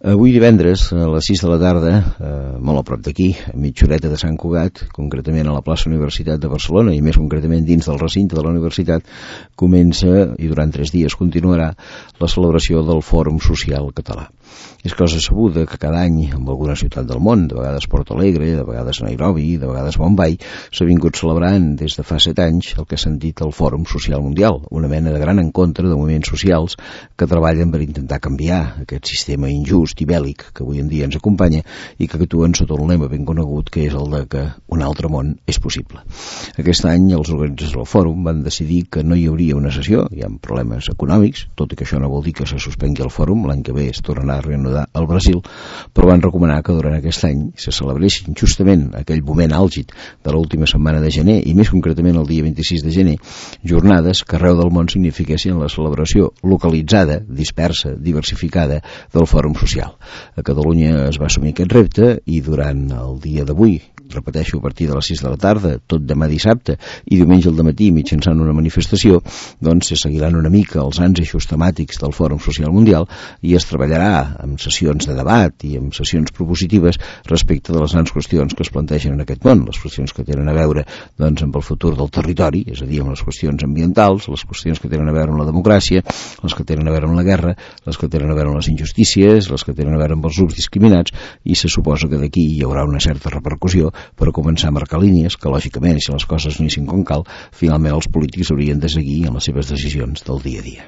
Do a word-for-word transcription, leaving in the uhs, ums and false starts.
Avui divendres, a les sis de la tarda, eh, molt a prop d'aquí, a mitja horeta de Sant Cugat, concretament a la plaça Universitat de Barcelona, i més concretament dins del recinte de la universitat, comença, i durant tres dies continuarà, la celebració del Fòrum Social Català. És cosa sabuda que cada any, en alguna ciutat del món, de vegades Porto Alegre, de vegades Nairobi, de vegades Bombay, s'ha vingut celebrant des de fa set anys el que s'ha dit el Fòrum Social Mundial, una mena de gran encontre de moviments socials que treballen per intentar canviar aquest sistema injust i bèl·lic que avui en dia ens acompanya i que actuen sota un lema ben conegut que és el de que un altre món és possible. Aquest any els organitzadors del fòrum van decidir que no hi hauria una sessió, hi ha problemes econòmics, tot i que això no vol dir que se suspengui el fòrum, l'any que ve es tornarà a reanudar al Brasil, però van recomanar que durant aquest any se celebressin justament aquell moment àlgid de l'última setmana de gener i més concretament el dia vint-i-sis de gener, jornades que arreu del món signifiquessin la celebració localitzada, dispersa, diversificada del fòrum social. A Catalunya es va assumir aquest repte i durant el dia d'avui, repeteixo, a partir de les sis de la tarda, tot demà dissabte i diumenge al dematí mitjançant una manifestació, doncs se seguiran una mica els ans eixos temàtics del Fòrum Social Mundial i es treballarà amb sessions de debat i amb sessions propositives respecte de les grans qüestions que es plantegen en aquest món, les qüestions que tenen a veure doncs, amb el futur del territori, és a dir, amb les qüestions ambientals, les qüestions que tenen a veure amb la democràcia, les que tenen a veure amb la guerra, les que tenen a veure amb les injustícies, les que tenen a veure amb els grups discriminats, i se suposa que d'aquí hi haurà una certa repercussió per començar a marcar línies que, lògicament, si les coses no hi com cal, finalment els polítics haurien de seguir en les seves decisions del dia a dia.